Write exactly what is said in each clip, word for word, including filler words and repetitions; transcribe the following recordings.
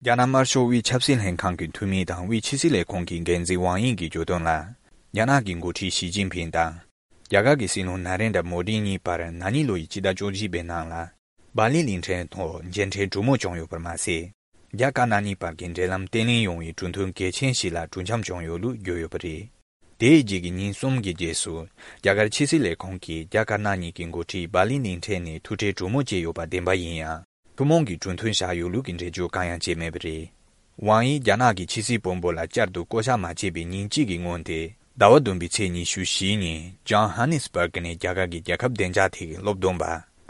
རྒྱ་ནག་དམར་ཤོག་དབུས་ཆབ་སྲིད་ལྷན་ཁང་གི་འཐུས་མི་དང་དབུས་ཕྱི་སྲིད་ལས་ཁུངས་ཀྱི་འགན་འཛིན་ཝང་དབྱིང་གིས་བརྗོད་དོན་ལ། རྒྱ་ནག་གི་འགོ་ཁྲིད་ཞི་ཅིན་ཕིང་དང་། རྒྱ་གར་གྱི་སྲིད་བློན་ན་རེན་དྲ་མོ་དི་གཉིས་བར་ན་ནིང་ལོ་ཡི་སྤྱི་ཟླ་བཅུ་གཅིག་པའི་ནང་ལ། སྦ་ལི་གླིང་ཕྲན་ཐོག་མཇལ་འཕྲད་གྲོས་མོལ་བྱུང་ཡོད་པར་མ་ཟད། རྒྱ་དཀར་ནག་གཉིས་བར་གྱི་འབྲེལ་ལམ་བརྟན་ལྷིང་ཡོང་བའི་གྲོས་མཐུན་གལ་ཆེན་ཞིག་ལ་གྲོས་འཆམ་བྱུང་ཡོད་ལུགས་བརྗོད་ཡོད་པ་རེད། དེའི་རྗེས་ཀྱི་ཉིན་གསུམ་གྱི་རྗེས་སུ། རྒྱ་གར་ཕྱི་སྲིད་ལས་ཁུངས་ཀྱིས་རྒྱ་དཀར་ནག་གཉིས་ཀྱི་འགོ་ཁྲིད་སྦ་ལི་གླིང་ཕྲན་ནས་ཐུག་འཕྲད་གྲོས་མོལ་བྱས་ཡོད་པ་བདེན་པ་ཡིན་ཡང་། ཐུན་མོང་གི་གྲོས་མཐུན་བཞག་ཡོད་ལུགས་ཀྱི་འགྲེལ་བརྗོད་གང་ཡང་བྱས་མེད་པ་རེད། ཝང་དབྱིང་རྒྱ་ནག་གི་ཕྱི་སྲིད་དཔོན་པོ་ལ་བསྐྱར་དུ་བསྐོ་གཞག་མ་བྱས་པའི་ཉིན་གཅིག་གི་སྔོན་ཏེ། ཟླ་བ་བདུན་པའི་ཚེས་ཉི་ཤུ་བཞི་ཉིན་ཇོན་ཧ་ནི་སི་བར་གི་ནས་རྒྱ་གར་གྱི་རྒྱལ་ཁབ་བདེ་འཇགས་ཐད་ཀྱི་སློབ་སྟོན་པ་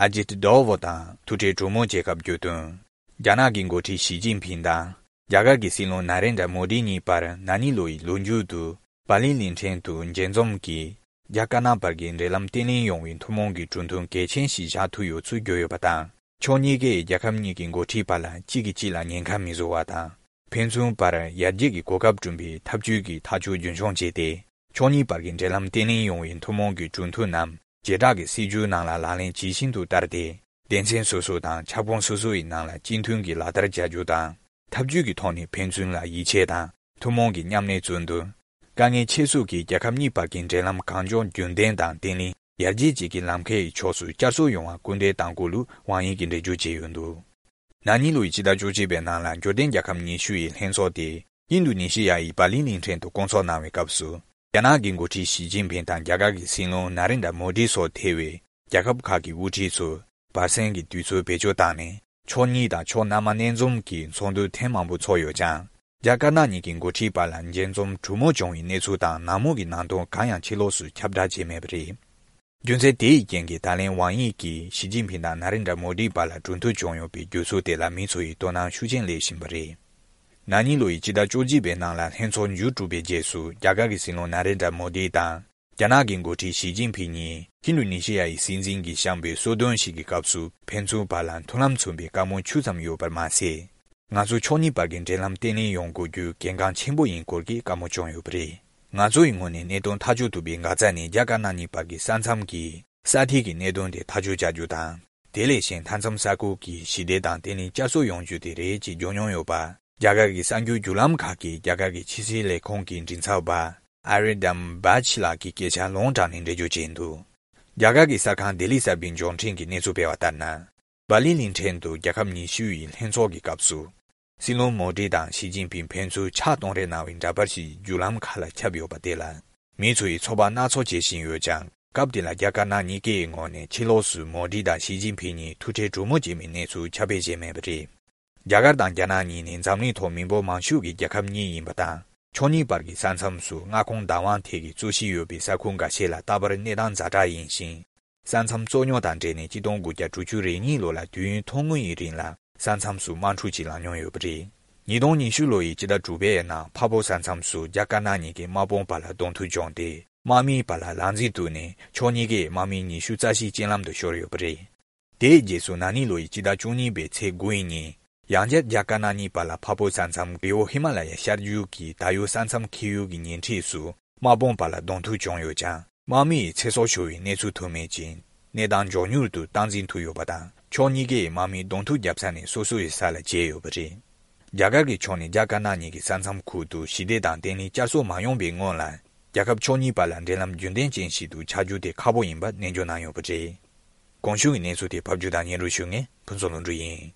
ཨ་ཇིད་ཌོ་ཝོ་དང་ཐུག་འཕྲད་གྲོས་མོལ་བྱེད་སྐབས་བརྗོད་དོན། རྒྱ་ནག་གི་འགོ་ཁྲིད་ཞི་ཅིན་ཕིང་དང་། རྒྱ་གར་གྱི་སྲིད་བློན་ན་རེན་དྲ་མོ་དི་གཉིས་བར་ན་ནིང་ལོ་ཡི་ལོ་མཇུག་ཏུ། སྦ་ལི་གླིང་ཕྲན་དུ་མཇལ་འཛོམས་ཀྱིས། རྒྱ་དཀར་ནག་བར་གྱི་འབྲེལ་ལམ་བརྟན་ལྷིང་ཡོང་བའི་ཐུན་མོང་གི་གྲོས་མཐུན་གལ་ཆེན་ཞིག་བཞག་ཐུབ་ཡོད་ཚུལ་བརྗོད་ཡོད་པ་དང་། ཕྱོགས་གཉིས་ཀས་རྒྱལ་ཁབ་གཉིས་ཀྱི་འགོ་ཁྲིད་བར་ལ་གཅིག་གིས་གཅིག་ལ་ཉེན་ཁ་མི་བཟོ་བ་དང་། ཕན་ཚུན་བར་ཡར་རྒྱས་ཀྱི་གོ་སྐབས་བསྐྲུན་པའི་འཐབ་ཇུས་ཀྱི་ཐག་གཅོད་རྒྱུན་འཁྱོངས་བྱས་ཏེ། ཕྱོགས་གཉིས་བར་གྱི་འབྲེལ་ལམ་བརྟན་ལྷིང་ཡོང་བའི་ཐུན་མོང་གི་གྲོས་མཐུན་རྣམས་བྱེ་བྲག་གི་སྲིད་ཇུས་ནང་ལ་ལག་ལེན་ཇི་བཞིན་དུ་བསྟར་ཏེ། སྡེ་ཚན་སོ་སོ་དང་ཁྱབ་ཁོངས་སོ་སོ་ཡི་ནང་ལ་གཅིག་མཐུན་གྱིས་ལག་བསྟར་བྱ་རྒྱུ་དང་། འཐབ་ཇུས་ཀྱི་ཐོག་ནས་ཕན་ཚུན་ལ་ཡིད་ཆེས་དང་ཐུན་མོང་གི་མཉམ་ལས་བརྩོན་འདུ། དཀའ་ངལ་ཆེ་ཤོས་ཀྱི་རྒྱལ་ཁབ་གཉིས་བར་གྱི་འབྲེལ་ལམ་གང་མགྱོགས་རྒྱུན་ལྡན་དང་བརྟན་ལྷིང་ཡར་རྒྱས་བཅས་ཀྱི་ལམ་ཁའི་ཕྱོགས་སུ་བསྐྱར་གསོ་ཡོང་བར་སྐུལ་འདེད་གཏང་དགོས་ལུགས་ཝང་དབྱིང་གིས་འགྲེལ་བརྗོད་བྱས་ཡོད་འདུག་ན་ནིང་ལོ་ཡི་ཕྱི་ཟླ་བཅུ་གཅིག་པའི་ནང་ལ་འབྱོར་ལྡན་རྒྱལ་ཁབ་ཉི་ཤུ་ཡི་ལྷན་ཚོགས་དེ་ཨིན་རྡུ་ནི་ཤི་ཡ་ཡི་སྦ་ལི་གླིང་ཕྲན་དུ་བསྐོང་ཚོགས་གནང་བའི་སྐབས་སུ། རྒྱ་ནག་གི་འགོ་ཁྲིད་ཞི་ཅིན་ཕིང་དང་རྒྱ་གར་གྱི་སྲིད་བློན་ན་རེན་དྲ་མོ་དི་སོགས་ཐེ་བའི་རྒྱལ་ཁབ་ཁག་གི་དབུ་ཁྲིད་ཚོས་བར་གསེང་གི་དུས་ཚོད་བེད་སྤྱོད་བཏང་ནས་ཕྱོགས་གཉིས་དང་ཕྱོགས་སྣ་མང་སྣེ་འཛོམས་ཀྱི་ཚོགས་འདུ་ཐེངས་མང་པོ་ཚོགས་ཡོད་ཀྱང་། རྒྱ་དཀར་ནག་གཉིས་ཀྱི་འགོ་ཁྲིད་བར་ལ་མཇལ་འཛོམས་གྲོས་མོལ་བྱུང་བའི་གནས་ཚུལ་དང་ནང་མོལ་གྱི་ནང་དོན་གང་ཡང་ཕྱི་ལོགས་སུ་ཁྱབ་བསྒྲགས་བྱས་མེད་པ་རེད། རྒྱུ་མཚན་དེ་ཡི་རྐྱེན་གྱིས་ད་ལན་ཝང་དབྱིང་གིས་ཞི་ཅིན་ཕིང་དང་ན་རེན་དྲ་མོ་དི་བར་ལ་གྲོས་མཐུན་བྱུང་ཡོད་པའི་རྒྱུ་ཚུལ་དེ་ལ་མི་ཚོ་ཡིས་དོ་སྣང་ཤུགས་ཆེན་སླེབས་བཞིན་པ་རེད། ན་ནིང་ལོ་ཡི་ཕྱི་ཟླ་བཅུ་གཅིག་པའི་ནང་ལ་ལྷན་ཚོགས་མཇུག་གྲུབ་པའི་རྗེས་སུ་རྒྱ་གར་གྱི་སྲིད་བློན་ན་རེན་དྲ་མོ་དི་དང་། རྒྱ་ནག་གི་འགོ་ཁྲིད་ཞི་ཅིན་ཕིང་གཉིས་ཧིན་རྡུ་ནི་ཤི་ཡ་ཡི་སྲིད་འཛིན་གྱིས་བཤམས་པའི་གསོལ་སྟོན་ཞིག་གི་སྐབས་སུ་ཕན་ཚུན་བར་ལ་མཐུན་ལམ་མཚོན་པའི་བཀའ་མོལ་ཆུ་ཙམ་ཡོད་པར་མ་ཟད། ང་ཚོ་ཕྱོགས་གཉིས་བར་གྱི་འབྲེལ་ལམ་བརྟན་ལྷིང་ཡོང་དགོས་རྒྱུ་གལ་འགངས་ཆེན་པོ་ཡིན་སྐོར་གྱི་བཀའ་མོལ་བྱུང་ཡོད་པ་རེད། ང་ཚོ་ཡི་ངོས་ནས་གནད་དོན་ཐག་གཅོད་ཐུབ་པའི་འགག་རྩ་ནི་རྒྱ་དཀར་ནག་གཉིས་བར་གྱི་ས་མཚམས་ཀྱི་ས་ཐིག་གི་གནད་དོན་དེ་ཐག་གཅོད་བྱ་རྒྱུ་དང་། དེ་ལས་གཞན་མཐའ་མཚམས་ས་ཁུལ་གྱི་ཞི་བདེ་དང་བརྟན་ལྷིང་བསྐྱར་གསོ་ཡོང་རྒྱུ་དེ་རེད་ཅེས་བརྗོད་མྱོང་ཡོད་པ། རྒྱ་གར་གྱི་གསར་འགྱུར་བརྒྱུད་ལམ་ཁག་གིས་རྒྱ་གར་གྱི་ཕྱི་སྲིད་ལས་ཁུངས་ཀྱི་མགྲིན་ཚབ་པ་ཨ་རི་དམ་བྷ་ཆི་ལགས་ཀྱི་སྐད་ཆ་ལུང་དྲངས་ནས་འགྲེལ་བརྗོད་བྱས་འདུག་རྒྱ་གར་གྱི་གསར་ཁང་ལྡི་ལི་གསར་པའི་འབྱོར་འཕྲིན་གྱིས་གནས་ཚུལ་སྤེལ་བ་ལྟར་ན། སྦ་ལི་གླིང་ཕྲན་དུ་རྒྱལ་ཁབ་ཉི་ཤུ་ཡི་ལྷན་ཚོགས་ཀྱི་སྐབས་སུ། སྲིད་བློན་མོ་དི་དང་ཞི་ཅིན་ཕིང་ཕན་ཚུན་ཕྱག་གཏོང་རེས་གནང་བའི་འདྲ་པར་ཞིག་བརྒྱུད་ལམ་ཁག་ལ་ཁྱབ་ཡོད་པ་དེ་ལ། མི་ཚོ་ཡིས་ཚོད་དཔག་སྣ་ཚོགས་བྱེད་བཞིན་ཡོད་ཀྱང་། སྐབས་དེ་ལ་རྒྱ་དཀར་ནག་གཉིས་ཀའི་ངོས་ནས་ཕྱི་ལོགས་སུ་མོ་དི་དང་ཞི་ཅིན་ཕིང་གཉིས་ཐུག་འཕྲད་གྲོས་མོལ་བྱས་མིན་གནས་ཚུལ་ཁྱབ་སྤེལ་བྱས་མེད་པ་རེད། རྒྱ་གར་དང་རྒྱ་ནག་གཉིས་ནི་འཛམ་གླིང་ཐོག་མི་འབོར་མང་ཤོས་ཀྱི་རྒྱལ་ཁབ་གཉིས་ཡིན་པ་དང་། ཕྱོགས་གཉིས་བར་གྱི་ས་མཚམས་སུ་མངའ་ཁོངས་བདག་དབང་ཐད་ཀྱི་རྩོད་གཞི་ཡོད་པའི་ས་ཁུལ་འགའ་ཤས་ལ་རྟག་པར་གནས་སྟངས་ཛ་དྲག་ཡིན་ཞིང་། ས་མཚམས་རྩོད་རྙོག་དང་འབྲེལ་ནས་ཆིག་སྟོང་དགུ་བརྒྱ་དྲུག་ཅུ་རེ་གཉིས་ལོ་ལ་དུས་ཡུན་ཐུང་ངུ་ཡི་རིང་ལ་ས་མཚམས་སུ་དམག་འཁྲུག་ཅིག་ལངས་མྱོང་ཡོད་པ་རེད། ཉིས་སྟོང་ཉི་ཤུ་ལོ་ཡི་ཕྱི་ཟླ་དྲུག་པའི་ནང་འཕགས་བོད་ས་མཚམས་སུ་རྒྱ་དཀར་ནག་གཉིས་ཀྱི་དམག་དཔུང་བར་ལ་གདོང་ཐུག་བྱུང་སྟེ། དམག་མིའི་བར་ལ་ལག་འཛིང་བཙུགས་ནས་ཕྱོགས་གཉིས་ཀས་དམག་མི་ཉི་ཤུ་རྩ་བཞི་རྐྱེན་ལམ་དུ་ཤོར་ཡོད་པ་རེད། དེའི་རྗེས་སུ་ན་ནིང་ལོ་ཡི་ཕྱི་ཟླ་བཅུ་གཉིས་པའི་ཚེས་དགུ་ཡི་ཉིན། ཡང་བསྐྱར་རྒྱ་དཀར་ནག་གཉིས་བར་ལ་འཕགས་བོད་ས་མཚམས་རི་བོ་ཧི་མ་ལ་ཡའི་ཤར་རྒྱུད་ཀྱི་ད་ཡོད་ས་མཚམས་འཁེལ་ཡུལ་གྱི་ཉེ་འཁྲིས་སུ་དམག་དཔུང་བར་ལ་གདོང་ཐུག་བྱུང་ཡོད་ཀྱང་། དམག་མི་ཡི་ཚེ་སྲོག་ཤོར་བའི་གནས་ཚུལ་ཐོན་མེད་ཅིང་། གནས་སྟངས་མགྱོགས་མྱུར་དུ་སྟངས་འཛིན་ཐུབ་ཡོད་པ་དང་། ཕྱོགས་གཉིས་ཀས་དམག་མིའི་གདོང་ཐུག་བརྒྱབ་ས་ནས་སོ་སོ་ཡི་ས་ལ་བྱེལ་ཡོད་པ་རེད། རྒྱ་གར་གྱི་ཕྱོགས་ནས་རྒྱ་དཀར་ནག་གཉིས་ཀྱི་ས་མཚམས་ཁུལ་དུ་ཞི་བདེ་དང་བརྟན་ལྷིང་བསྐྱར་གསོ་མ་ཡོང་པའི་སྔོན་ལ། རྒྱལ་ཁབ་ཕྱོགས་གཉིས་བར་ལ་འབྲེལ་ལམ་རྒྱུན་ལྡན་ཅན་ཞིག་ཏུ་ཆགས་རྒྱུ་དེ་ཁག་པོ་ཡིན་པ་ནན་བརྗོད་གནང་ཡོད་པ་རེད། གོང་ཞུས་ཀྱི་གནས་ཚུལ་དེ་ཕབ་སྒྱུར་དང་སྙན་སྒྲོན་ཞུ་མཁན་ཕུན་ཚོགས་ལྷུན་གྲུབ་ཡིན།